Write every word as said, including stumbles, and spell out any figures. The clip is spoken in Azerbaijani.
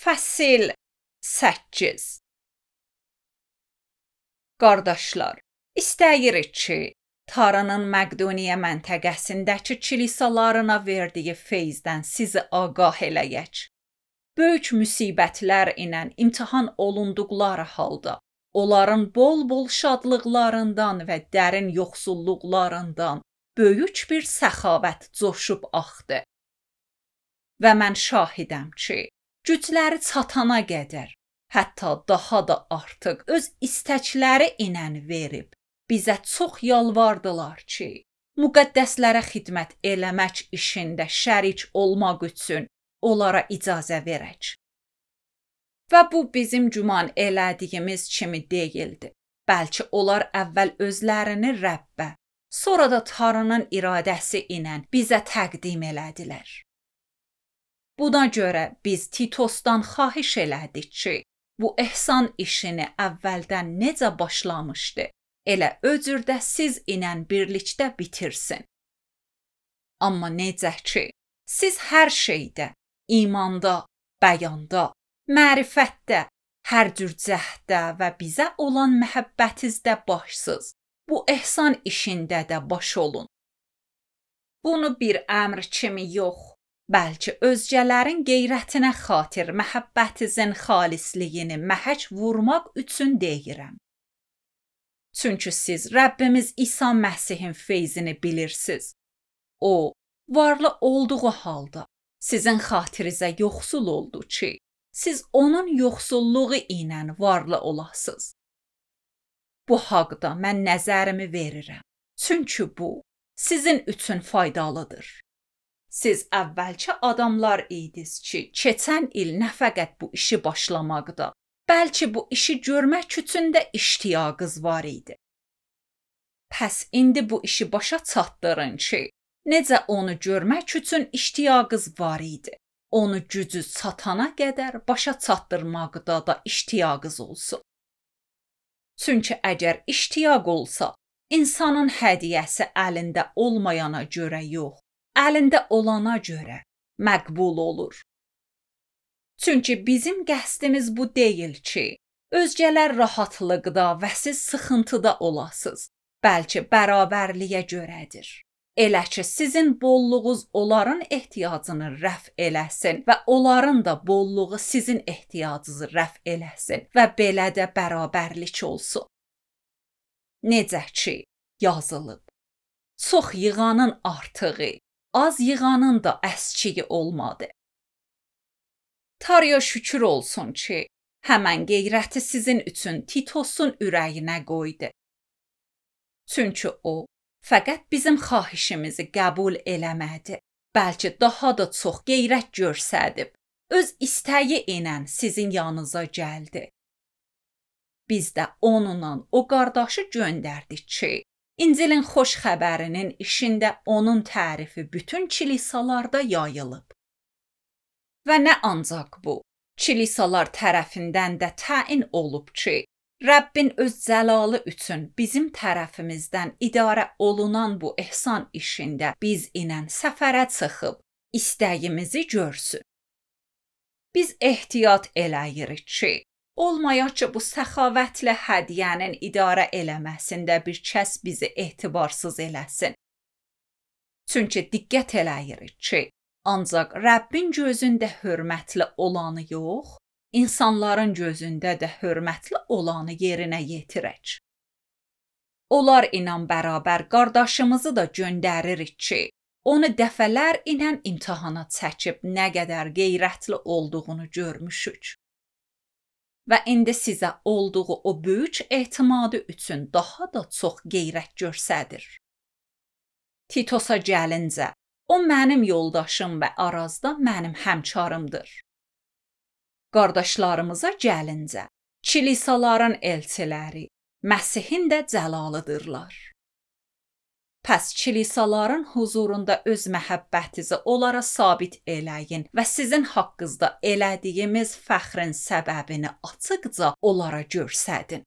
Fəsil səkkiz. Qardaşlar, istəyirik ki, Tanrının Məqdoniya məntəqəsindəki kilisalarına verdiyi feyzdən sizi ağah eləyək. Böyük müsibətlər ilə imtihan olunduqları halda, onların bol-bol şadlıqlarından və dərin yoxsulluqlarından böyük bir səxavət coşub axdı. Və mən şahidəm ki, gücləri çatana qədər, hətta daha da artıq öz istəkləri ilə verib, bizə çox yalvardılar ki, müqəddəslərə xidmət eləmək işində şərik olmaq üçün onlara icazə verək. Və bu bizim güman elədiyimiz kimi deyildi. Bəlkə onlar əvvəl özlərini Rəbbə, sonra da Tanrının iradəsi ilə bizə təqdim elədilər. Buna görə biz Titosdan xahiş elədik ki, bu ehsan işini əvvəldən necə başlamışdı, elə öcürdə siz ilə birlikdə bitirsin. Amma necə ki, siz hər şeydə, imanda, bəyanda, mərifətdə, hər cür cəhdə və bizə olan məhəbbətinizdə başsız, bu ehsan işində də baş olun. Bunu bir əmr kimi yox, bəlkə özgələrin qeyrətinə xatir məhəbbətinizin xalisliyini məhək vurmaq üçün deyirəm. Çünki siz Rəbbimiz İsa Məsihin feyzini bilirsiniz. O, varlı olduğu halda sizin xatirinizə yoxsul oldu ki, siz onun yoxsulluğu ilə varlı olasınız. Bu haqda mən nəzərimi verirəm. Çünki bu sizin üçün faydalıdır. Siz əvvəlcə adamlar idiniz ki, keçən il nə fəqət bu işi başlamaqda, bəlkə bu işi görmək üçün də iştiyaqınız var idi. Pəs indi bu işi başa çatdırın ki, necə onu görmək üçün iştiyaqınız var idi. Onu gücü çatana qədər başa çatdırmaqda da iştiyaqınız olsun. Çünki əgər iştiyaq olsa, insanın hədiyyəsi əlində olmayana görə yox, əlində olana görə məqbul olur. Çünki bizim qəsdimiz bu deyil ki, özgələr rahatlıqda və siz sıxıntıda olasınız, bəlkə bərabərliyə görədir. Elə ki, sizin bolluğunuz onların ehtiyacını rəf eləsin və onların da bolluğu sizin ehtiyacınızı rəf eləsin və belə də bərabərlik olsun. Necə ki, yazılıb, çox yığanın artığı, az yığanın da əskiyi olmadı. Tanrıya şükür olsun ki, həmən qeyrəti sizin üçün Titosun ürəyinə qoydu. Çünki o, fəqət bizim xahişimizi qəbul eləmədi, bəlkə daha da çox qeyrət görsədib, öz istəyi ilə sizin yanınıza gəldi. Biz də onunla o qardaşı göndərdik ki, İncilin xoş xəbərinin işində onun tərifi bütün kilisalarda yayılıb. Və nə ancaq bu, kilisalar tərəfindən də təyin olub ki, Rəbbin öz cəlalı üçün bizim tərəfimizdən idarə olunan bu ehsan işində biz ilə səfərə çıxıb, istəyimizi görsün. Biz ehtiyat eləyirik ki, olmayaq ki, bu səxavətli hədiyyənin idarə eləməsində bir kəs bizi etibarsız eləsin. Çünki diqqət eləyirik ki, ancaq Rəbbin gözündə hörmətli olanı yox, insanların gözündə də hörmətli olanı yerinə yetirək. Onlar ilə bərabər qardaşımızı da göndəririk ki, onu dəfələr ilə imtahana çəkib nə qədər qeyrətli olduğunu görmüşük. Və indi sizə olduğu o böyük etimadı üçün daha da çox qeyrət görsədir. Titosa gəlincə, o mənim yoldaşım və Arazda mənim həmkarımdır. Qardaşlarımıza gəlincə, kilisaların elçiləri, Məsihin də cəlalıdırlar. Pəs kilisaların huzurunda öz məhəbbətinizi onlara sabit eləyin və sizin haqqınızda elədiyimiz fəxrin səbəbini açıqca onlara göstərin.